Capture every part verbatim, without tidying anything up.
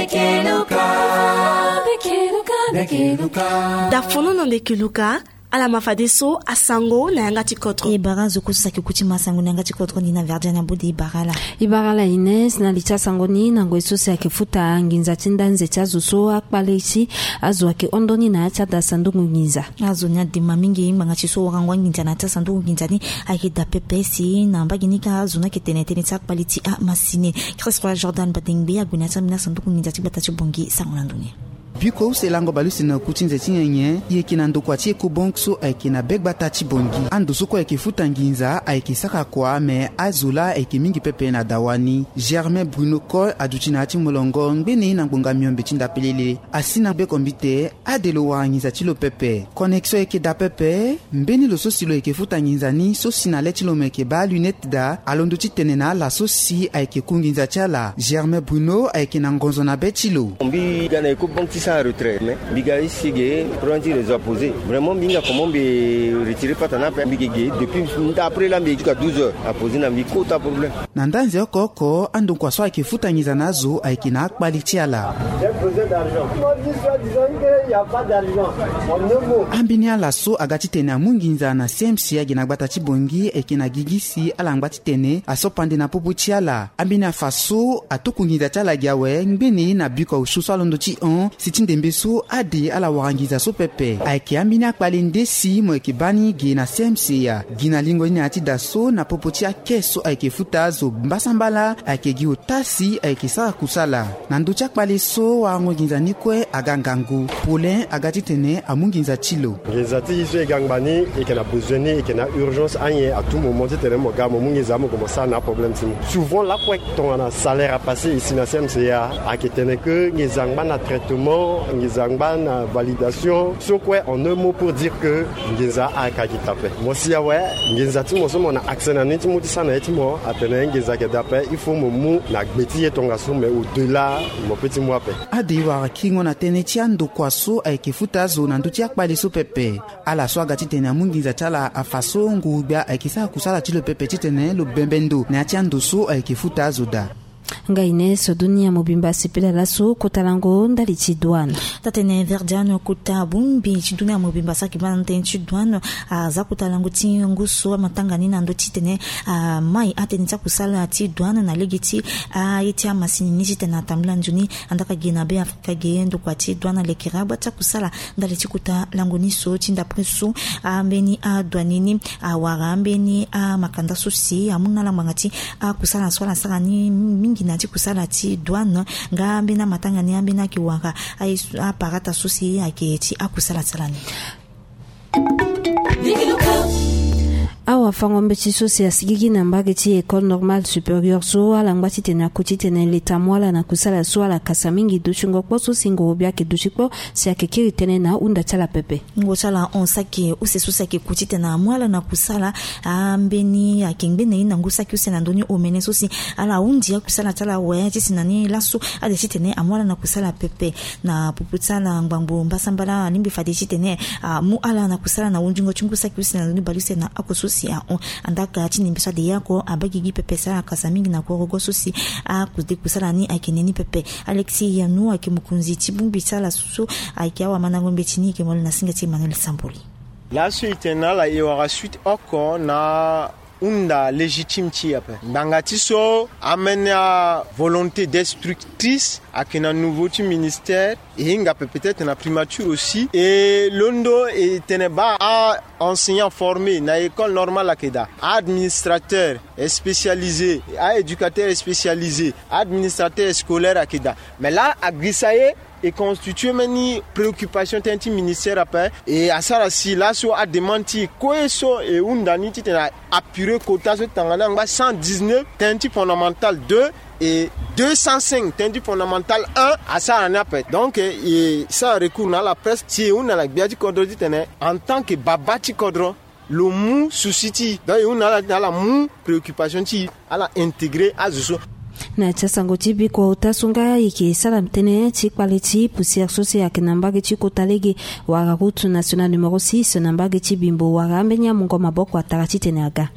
Bekeluka, bekeluka, bekeluka. Da fono na bekeluka. Ala ma fadeso asango na yanga ti kodro. E bara azo kue so saki ku ti ma sango na yanga ti kodro ni na verdian abode. E bara ala. E bara ala ines na li ti asango ni na ngoi so si ayeke futa nginza ti ndanze ti azo so akpale ti azo ayeke hon ndoni na ya ti ada sanduku nginza. Azo ni adema mingi ngbanga ti so warango anginza na ya ti asanduku nginza ni. Ayeke da pepe si na mbage ni kâ azo ni ayeke tene tënë ti akpale ti amasini. Christ roi jordan badengbe ague na ya ti ambeni asanduku nginza ti gbata ti bongi sango na ndo ni. Biko use lango baleuse na ku ti nze ti nyenye. E yeke na ndokua ti Ecobank so ayeke na be gbata ti bongi. Ando so kue ayeke futa nginza ayeke sara kua me azo laa ayeke mingi pepe na dawa ni. Germain Bruno Coll aduti na ya ti molongo ngbene na ngbonga miombe ti ndapelele. Asi na be kombite ade lo wara nginza ti lo pepe. Connexion ayeke daa pepe. Mbeni lo so si lo yeke futa nginza ni so si na le ti lo mo yeke baa lunette daa alondo ti tene na ala so si ayeke ku nginza ti ala. Germain Bruno ayeke na ngonzo na be ti lo. Mbi ga na Ecobank ti sara retrait mais mbi ga isi ge problème ti réseau a posé. Vraiment mbi hinga comment mbi retirer pata ni ape. Mbi ge ge depuis nda après la mbi jusqu'à douze heures a posé na mbi kota problème. Na ndanze oko oko andokua so ayeke futa nginza na azo ayeke na akpali ti ala. Ambeni ala so aga titene amu nginza na C M C age na gbata ti bongi ayeke na gigi si ala ngba titene aso pande na popo ti ala. Ambeni afa so atuku nginza ti ala gi awe ngbene na biko aosio so alondo ti hon si ti ndembe so ade ala wara nginza so pepe. Ayeke ambeni akpale nde si mo yeke baa ni ge na C M C ya gi na lingo ni na ya ti da so na popo ti ake so ayeke futa azo mbasambala ayeke gi ota si ayeke sara kusala. Na ndö ti akpale so warango nginza ni kue aga ngangu. Paulin aga titene amu nginza ti lo. Nginza ti e so e ga ngba ni e yeke na besoin ni e yeke na urgence anyen à tout moment titene mo ga mo mu nginza mo gue mo sara na aproblème ti ni. Souvent lakue tongana salaire apassé e si na C M C ya ayeke tene ke nginza ngba na traitement nginza ngba na validation so kue en un mot pour dire ke nginza ayeke agi tape. Mo si awe nginza ti mo so mo na accès na ni ti mu ti sara na ye ti mo atene nginza ayeke daa ape il faut mo mu na gbe ti ye tongaso mais au delà mo pe ti mu ape. Ade e wara kingo na tënë ti andokua so ayeke futa azo na ndö ti akpale so pepe. Ala so aga titene amu nginza ti ala afa so nguru-gbia ayeke sara kusala ti lo pepe titene lo bembe ndo na ya ti ando so ayeke futa azo daa. Nga ine so dunia mobimba sepela laso kota lango ndali ti douane. Tatene verdiano kota bongbi ti dunia mobimba saki bana tënë ti douane. Aza kota lango ti ngu so amatanga ni na ndö titene amai atënë ti akusala ti douane na lege ti aye ti amasini ni titene atambula nzoni. Andaka ge na be afrika ge ndokua ti douane alekera agba ti akusala ndali ti kota lango ni so ti ndapre so ambeni adouane ni awara ambeni amakanda so si amu na ala ngbanga ti akusala so ala sara ni mingi na ya ti kusala ti douane. Nga ambeni amatanga ni ambeni ayeke wara aye so aparata so si ayeke ti akusala ti ala ni. Awafango-mbeti so si asigigi na mbage ti école normale supérieure so ala ngba titene akoti titene leta mu ala na kusala so ala kasa mingi dutingo kpo so si ngoro-gbia ayeke duti kpo si ayeke kiri tënë na ahunda ti ala pepe. Ngo ti ala hon saki use so si ayeke ku titene amu ala na kusala. Ambeni ayeke ngbene ye na ngu saki use na ndö ni omene so si ala hundi akusala ti ala awe ti si na ni laso ade titene amu ala na kusala pepe. Na popo ti ala ngbangbo mbasambala alingbi fade titene amu ala na kusala na hundingo ti ngu saki use na ndö ni baleuse na oko so si ahon. Andaka ti nembe so ade ye oko abaa gigi pepe si ala kasa mingi na korogo so si akude kusala ni ayeke ne ni pepe. Alexis yanu ayeke mokonzi ti bongbi ti ala so ayeke awamandango mbeti ni ayeke mole na singa ti emmanuel samboli. Laso e tene na ala e wara suite oko na hunda légitime ti e ape ngbanga ti so amene avolonté destructrice ayeke na nouveau ti ministère. E hinga ape peut-être na primature aussi e londo e tene baa a-enseignant formé na école normale ayeke daa, administrateur spécialisé, a-éducateur spécialisé, administrateur scolaire ayeke daa. Mais laa agrisa ye e constitue mbeni préoccupation tënë ti ministère ape. E asara si laso ademande ti e kue so e hunda ni titene a appurer kota so tongana angba cent dix-neuf tënë ti fondamental deux et deux cent cinq tënë ti fondamental un asara ni ape. Donc e sara recours na ala presse si e hunda na gbia ti kodro titene en tant que baba ti kodro lo mu souci ti e donc e hunda na ala titene ala mu préoccupation ti e ala intégrer azo so. Na ya ti asango ti bikua ota so nga e yeke sara tënë ti kpale ti poussière so si ayeke na mbage ti kota lege wala route nationale numéro six na mbage ti Bimbo wala ambeni amungo maboko atara titene aga.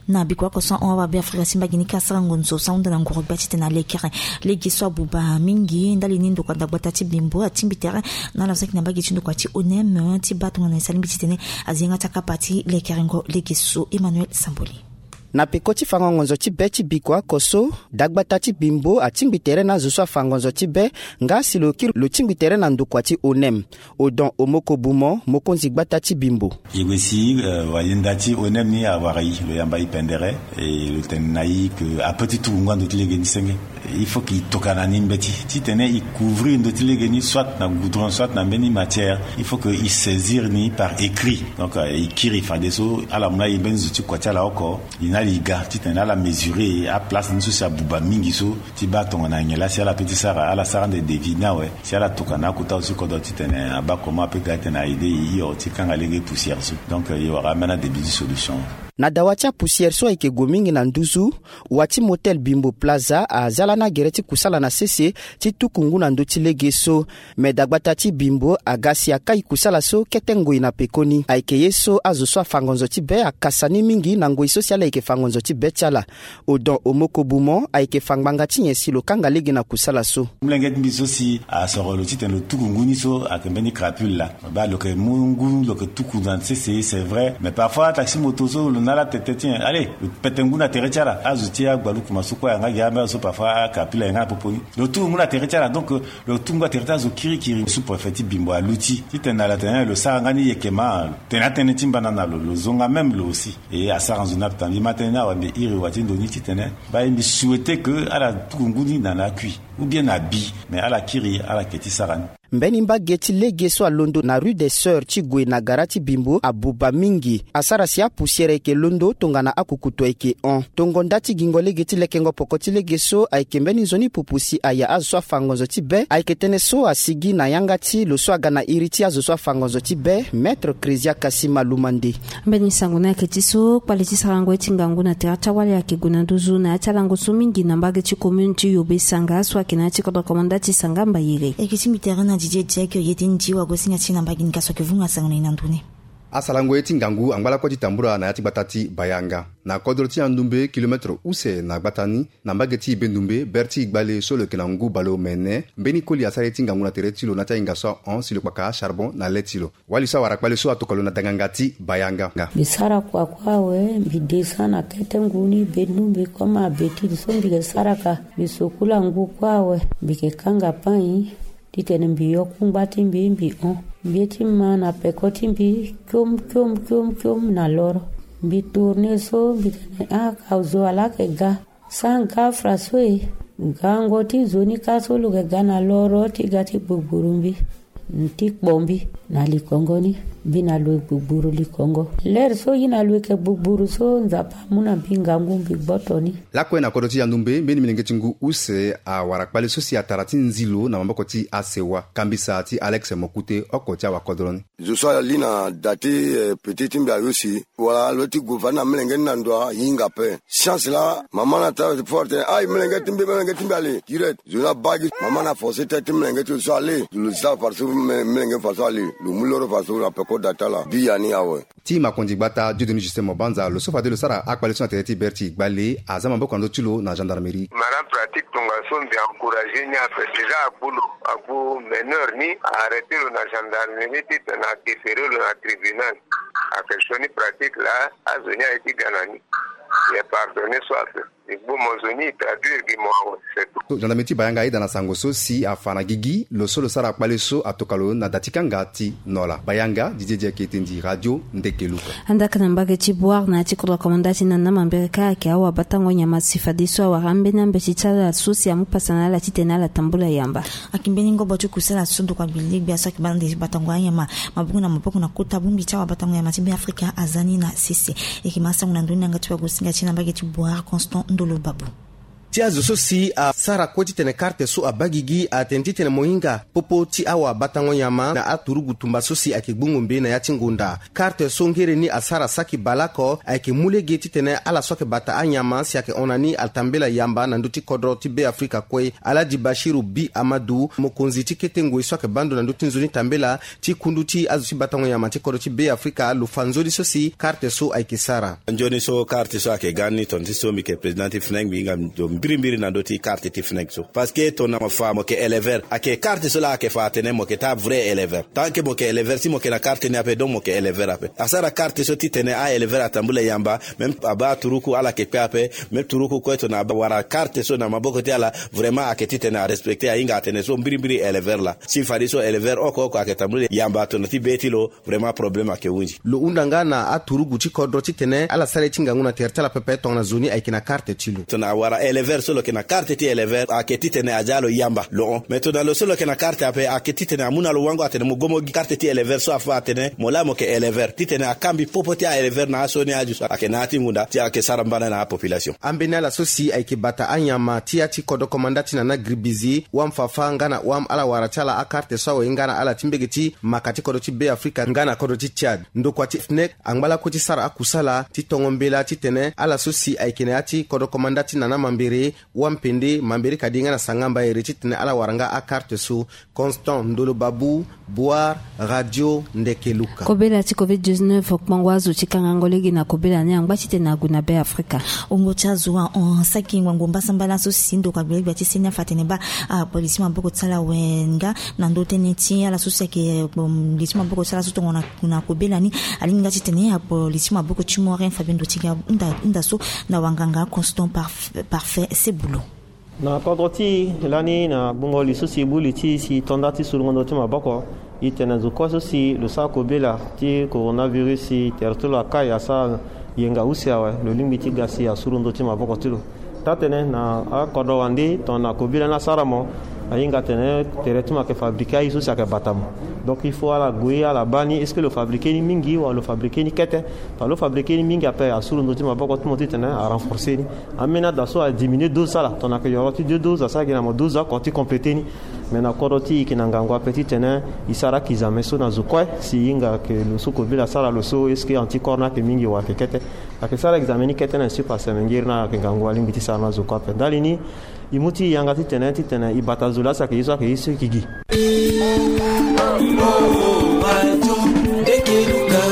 Na bikua oko so ahon awa Beafrika si mbage ni kâ asara ngonzo so ahunda na nguru gbia titene alekere lege so abuba mingi ndali ni ndokua dagbata ti Bimbo atingbi tere na ala so ayeke na mbage ti ndokua ti Onem ti baa tongana e sara lingbi titene azi yanga ti akapa ti lekerengo lege so. Emmanuel Samboli. Na peko ti fango ngonzo ti be ti bikua oko so, dagbata ti Bimbo atingbi tere na azo so afa ngonzo ti be nga si lo kiri lo tingbi tere na ndokua ti Onem. Odon Omoko Bumo, mokonzi gbata ti Bimbo. E gue si, eh, wayenda ti Onem ni awara e, lo yamba e pendere, e lo tene na e ke ape ti tuku ngu na ndö ti lege ni senge. Il faut que e tokana ni mbeti titene e couvrir ndö ti lege ni, soit na goudron, soit na mbeni matière. Il faut que e saisir ni par écrit. Donc, euh, e kiri fadeso ala mu na e mbeni zo ti kua ti ala oko, e na ala e ga titene ala mesurer aplace ni so si abuba mingi so, ti baa tongana nyen laa si ala peut ti sara, ala sara ande devis ni awe, si ala tokana akota so si kodro titene abaa comment ape ga titene a aider e hio ti kanga lege poussière so. Donc, euh, e wara ambeni adébut ti solution. Na dawa ti apoussière so ayeke gue mingi na nduzu, wa ti motel Bimbo Plaza aza lani agere ti kusala na sese ti tuku ngu na ndö ti lege so. Me dagbata ti Bimbo aga si akai kusala so kete ngoi na pekoni. Ayeke ye so azo so afa ngonzo ti be akasa ni mingi na ngoi so si ala yeke fa ngonzo ti be ti ala. Odon Omoko Bumo ayeke fa ngbanga ti nyen si lo kanga lege na kusala so. Molenge ti mbi so si asoro lo titene lo tuku ngu ni so ayeke mbeni crapule laa. Baa lo yeke mu ngu lo yeke tuku na sese, c'est vrai, mais parfois taxi moto so lo na ala tete ti nyen, allez, lo pete ngu na tere ti ala. Azo ti agbalukuma so kue ayanga gi ambeni azo so parfois acrapule ayanga na popo ni. Lo tuku ngu na tere ti ala, donc, euh, lo tuku ngu na tere ti azo kirikiri. Sous-préfet ti Bimbo aluti titene ala tene lo sara nga ni yeke ma tene atënë ti mbana na lo, lo zonga même lo aussi. E asara nzoni ape ta mbi ma tënë ni awe, mbi iri wa ti ndo ni titene baa e mbi souhaiter que ala tuku ngu ni na na akui ou bien na bi, mais ala kiri ala yeke ti sara ni. Mbeni mbage ti lege so alondo na rue des Sœurs ti gue na gara ti Bimbo abuba mingi. Asara si apoussière ayeke londo tongana akukutu ayeke hon. Tongo nda ti gingo lege ti lekengo poko ti lege so ayeke mbeni nzoni pupu si aya azo so afa ngonzo ti be ayeke tënë so asigi na yanga ti lo so aga na iri ti azo so afa ngonzo ti be, Maître Crésia Kasima Lumande. Mbeni sango ni ayeke ti so kpale ti sarango ye ti ngangu na tere ti awali ayeke gue na nduzu na ya ti alango so mingi na mbage ti commune ti Yobe Sanga so ayeke na ya ti kodro komanda ti Sanga Mbayere. E yeke tingbi tere na Didier Diack, ye ti nzi wagosinga ti na mbage ni ka so ayeke vunga sango na e na ndo ni. Asarango ye ti ngangu angba lakue ti tambula na ya ti gbata ti Bayanga na kodro ti Yandumbe, kilomètre use na gbata ni, na mbage ti Ibendumbe, bere ti Igbale so lo yeke na ngu baleomene. Mbeni koli asara ye ti ngangu na tere ti lo na ya ti ahinga so ahon si lo kpaka acharbon na le ti lo. Wali so awara kpale so atoka lo na danganga ti Bayanga. Mbi sara kua kue awe, mbi descend na kete ngu ni Bendumbe comme habitude so mbi yeke sara ka. Mbi sukula ngu kue awe, mbi yeke kanga pain titene mbi yo kungba ti mbi, mbi hon. Mbi ye ti ma na peko ti mbi kiom kiom kiom kiom na loro. Mbi tourner so mbi tene ah, ka zo ala yeke ga. Sanga fra so e, gango ti nzoni ka so lo yeke ga na loro ti ga ti gbugburu mbi, ti kpo mbi na likongo ni. Mbi na lo e gbugburu likongo. Lere so ye na lo e yeke gbugburu so Nzapa amu na mbi ngangu mbi gboto ni. Lakue na kodro ti Yandumbe, mbeni milenge ti ngu use awara kpale so si atara ti nzi lo na maboko ti asewa. Kambisa ti Alex Mokute, oko ti awakodro ni. Zo so ali na da ti, eh, petit ti mbi ayo si wala lo ti gue fade na melenge ni na ndo ahinga ape. Chance laa mama ni atara ti fort tene, ai, melenge ti mbi, melenge ti mbi ale direct. Zo ni abaa gi, mama ni aforce tënë ti melenge ti lo so ale. Lo sara fade so me-, melenge fade so ale. Lo mu loro fade so na peko da ti ala. Biani awe. Ti makonzi gbata Dieudonné Justin Mobanza, lo so fade lo sara akpale so na tere ti bere ti Igbale, aza maboko na ndö ti lo na gendarmerie. Mara pratique tongaso mbi encourager ni ape. Déjà agbu lo, agbu mineur ni, a arrêter lo na gendarmerie titene a déférer lo na tribunal. Ayeke sioni pratique laa, azo ni aye ti ga na ni. Mbi pardonner so ape. Mbi gbu mo zo ni, mbi traduire gi mo awe, c'est tout. So gendarmerie ti Bayanga ayeda na sango so si afa na gigi lo so lo sara kpale so atoka lo na da ti kanga ti Nola. Bayanga, Didier Diaketendi, Radio Ndekelu. Andaka na mbage ti Bouar na ya ti kodro komanda ti Nana Mambere ka ayeke awabatango nyama si fadeso awara ambeni ambeti ti ala so si amu pasa na ala titene ala tambula yamba. Ayeke mbeni ngobo ti kusala so ndokua gbiligbia so ayeke baa na ndö ti batango anyama maboko na maboko na kota bongbi ti awabatango nyama ti Beafrika aza ni na sese. E yeke ma sango na ndö ni na yanga ti wagosinga ti e na mbage ti Bouar, Constant Ndolo Babou. Ti azo so si asara kue titene karte so abaa gigi atene titene mo hinga popo ti awabatango nyama na aturugu tumba so si ayeke gbongombe na ya ti ngonda. Karte so ngere ni asara saki baleoko ayeke mu lege titene ala so ayeke bata anyama si ayeke hon na ni atambela yamba na ndö ti kodro ti Beafrika kue. Aladi Bashiru Bi Amadu, mokonzi ti kete ngoi so ayeke baa ndo na ndö ti nzoni tambela ti kundu ti azo ti batango nyama ti kodro ti Beafrika, lo fa nzoni so si karte so ayeke sara. Nzoni so karte so ayeke ga ni, tongana ti so mbi yeke président ti FNEC, mbi hinga ndo mbirimbiri na ndö ti karte ti FNEC so. Parce que tongana mo fa mo yeke éleveur, ayeke karte so laa ayeke fa atene mo yeke taa vrai éleveur. Tant que mo yeke éleveur, si mo yeke na karte ni ape, donc mo yeke éleveur ape. Asara karte so titene a-éleveur atambula yamba, même abaa turuku ala yeke kpe ape, même turuku kue tongana abaa wara karte so na maboko ti ala, vraiment ayeke titene arespecter, ahinga atene so mbirimbiri éleveur laa. Si fadeso éleveur oko oko ayeke tambula yamba tongana ti be ti lo, vraiment problème ayeke hunzi. Lo hunda nga na aturugu ti kodro titene ala sara ye ti ngangu na tere ti ala pepe tongana zo ni ayeke na karte ti lo. Tongana awara éleveur so lo yeke na karte ti éleveur, ayeke titene aza lo yamba, lo hon. Mais tongana lo so lo yeke na karte ape, ayeke titene amu na lo wango atene mo go mo gi karte ti éleveur so afa atene mo laa mo yeke éleveur, titene akangbi popo ti a-éleveur na aso ni aju so ayeke na ya ti ngonda ti ayeke sara mbana na apopulation. Ambeni ala so si ayeke bata anyama ti ya ti kodro komanda ti nana gribizi, wam fafa nga na wam ala wara ti ala akarte so awe nga na ala ti mbege ti maka ti kodro ti Beafrika nga na kodro ti Tchad. Ndokua ti FNEC angba lakue ti sara akusala ti tongo mbela titene ala so si ayeke na ya ti kodro komanda ti nana mambere, wampende, mambere kadi nga na sanga mbaere titene ala wara nga akarte so. Constant Ndolo Babu, Boar, Radio Ndeke Luka. Kobela ti covid dix-neuf kpango azo ti kangango lege na kobela ni angba titene ague na Beafrika. Wungo ti azo ahon saki ngbangbo mbasambala so si ndokua gbelegbia ti seni afa atene baa apolisi maboko ti ala awe nga na ndö tënë ti ala so si ayeke, um, li ti maboko ti ala so tongana na kobela ni. Alingbi nga titene apolisi maboko ti Morin Fabien Dotiga hunda, hunda so na wanganga Constant Parf-, Parfait Sebulo. Na kodro ti e lani na gbungo li so si e bu li ti e si e to nda ti sulungo ndö ti maboko, e tene zo kue so si lo sara kobela ti coronavirus si tere ti lo akai asara yenga use awe, lo lingbi ti ga si asuru ndö ti maboko ti lo. Taa-tënë na akodro wande tongana kobela ni asara mo, ahinga atene tere ti mo ayeke fabriqué aye so si ayeke bata mo. Donc il faut ala gue ala baa ni est-ce que lo fabriqué ni mingi wala lo fabriqué ni kete. Tongana lo fabriqué ni mingi ape asuru ndö ti maboko ti mo titene arenforcé ni. Ambeni ada so adiminué dose ti ala, tongana ayeke yoro ti deux doses asara gi na mo dose oko ti complété ni. Mais na kodro ti e yeke na ngangu ape titene e sara akizame so na zo kue si e hinga ayeke lo so kobela asara lo so, est-ce que anticorps ni ayeke mingi wala ayeke kete. Ayeke sara examen ni kete na e supa seme ngiri ni ayeke ngangu alingbi ti sara na zo kue ape. Ndali ni e mu ti e yanga titene, titene e bata zo laa si ayeke ye so ayeke ye so e yeke gi.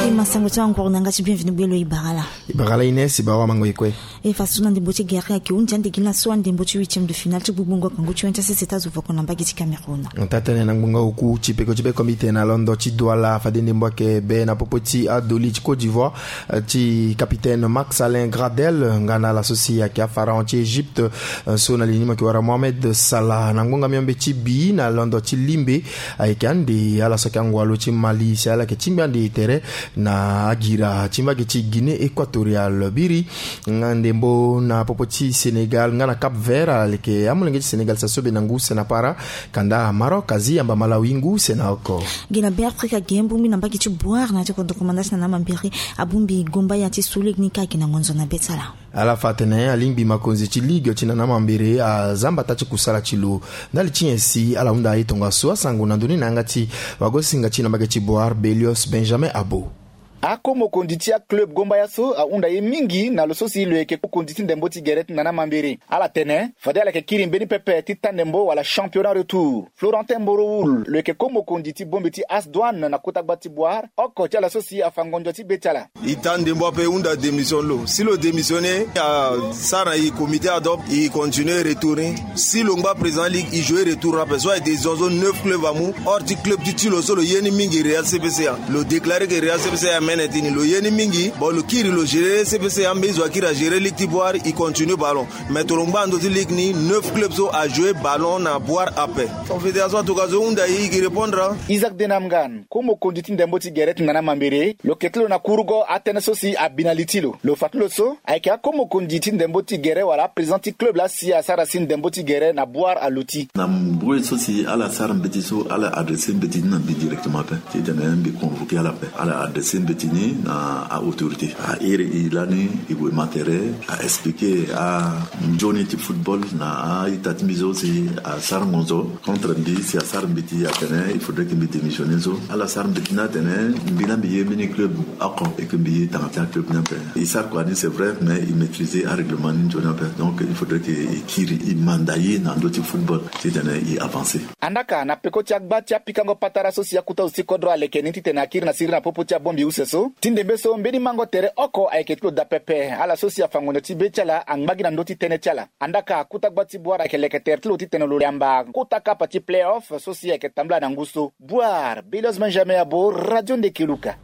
E ma sango ti anguru na yanga ti bienvenu gbe lo e bara laa. E bara laa Ines, e bara wamango e kue. E fa so na ndembo ti gere ayeke hunzi ande gi laso andembo ti huitième de finale ti gbugbungo kangu ti wende ti asese ti azo voko na mbage ti Cameroun. Taa-tënë na ngbonga oku ti peko ti be kombite na londo ti Douala fade ndembo ayeke be na popo ti adoli ti Côte d'Ivoire, eh, ti capitaine Max Alain Gradel nga na ala so si ayeke apharaon ti Égypte, eh, so na li ni mo yeke wara Mohamed Salah. Na ngbonga miombe ti bi na londo ti limbe ayeke ande ala so ayeke angua lo ti Mali si ala yeke tingbi ande tere na agira ti mbage ti Guinée Équatoriale. Biri nga ndembo na popo ti Sénégal nga na Cap Vert, aleke amolenge ti Sénégal si asobe na ngu use na para, kanda Maroc azi yamba Malawi ngu use na oko. Gi na Beafrika ge mbongbi na mbage ti Boar na ya ti kodro komanda ti na na mambere abongbi gomba ya ti so lege ni ka gi na ngonzo na be ti ala. Ala fa atene alingbi makonzi ti ligue ti na na mambere aza mbata ti kusala ti lo. Ndali ti nyen si ala hunda aye tongaso? Asango na ndoni na yanga ti wagosinga ti na mbage ti Boar Belios Benjamin Abo. Ako mokonzi ti aclub gombaya so ahunda ye mingi na lo so si lo yeke ko mokonzi ti ndembo ti gere ti na na mambere. Ala tene fade ala yeke kiri mbeni pepe ti ta ndembo wala championnat retour. Florentin Mborowoul lo yeke ko mokonzi ti bombe ti As Douane na kota gba ti Boar, oko ti ala so si afa ngonzo ti be ti ala. E ta ndembo ape, e hunda démission lo. Si lo démissionné, asara na e comité ad hoc, e continué retour ni. Si lo ngba président ligue, e joué retour ape. So aye décision so neuf club amu. Or ti club ti ti lo so lo ye ni mingi Real C P C A. Lo déclaré que Real C P C A amene ti ni, lo ye ni mingi. Bon, lo kiri lo géré C P C A, mbi zo akiri agéré ligue ti Boar, e continué ballon. Mais tongana lo ngba ndo ti ligue ni, neuf club so ajoué ballon na Boar ape. Confédération atuka zo hunda e, e gi répondre. Isaac Denamgan, ko mokonzi ti ndembo ti gere ti na na mambere, lo yeke ti lo na kurugo atënë so si abi na li ti lo. Lo fa ti lo so ayeke ako mokonzi ti ndembo ti gere wala aprésident ti club laa si asara si ndembo ti gere na Boar aluti. Na mbage so si ala sara mbeti so, ala adressé mbeti ni na mbi directement ape. Titene mbi convoqué ala ape, ala adressé mbeti Tini na a autorité a iri i lani i gue matere a expliquer a nzoni ti football na a ita ti mbi so si a sara ngonzo contre mbi si a sara mbi ti atene il faudrait que mbi démissionner so ala sara mbi ti ni atene mbi na mbi ye mbeni club oko et que mbi ye tanga ti a club ni ape. I sara kua ni c'est vrai mais i maîtriser a règlement ni nzoni ape donc il faudrait que i kiri i manda ye na ndö ti football titene i avancer. Andaka na peko ti agba ti apikango patara so si akuta zo ti kodro aleke ni titene akiri na siriri na popo ti abongbi use so ti ndembe so mbeni mango tere oko ayeke ti lo daa pepe ala so si afa ngonyo ti be ti ala angba gi na ndö ti tënë ti ala. Andaka kuta gba ti boire ayeke leke tere ti lo titene lo yamba kuta kapa ti play-off so si ayeke tambula na ngu so. Boire belios benjamin abo radio ndeke luka.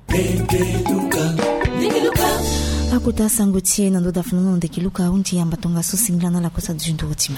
Akuta sango ti e na ndo dafa nono ndeke luka ahundi yamba tongaso singila na ala kosa duzunduru ti ma.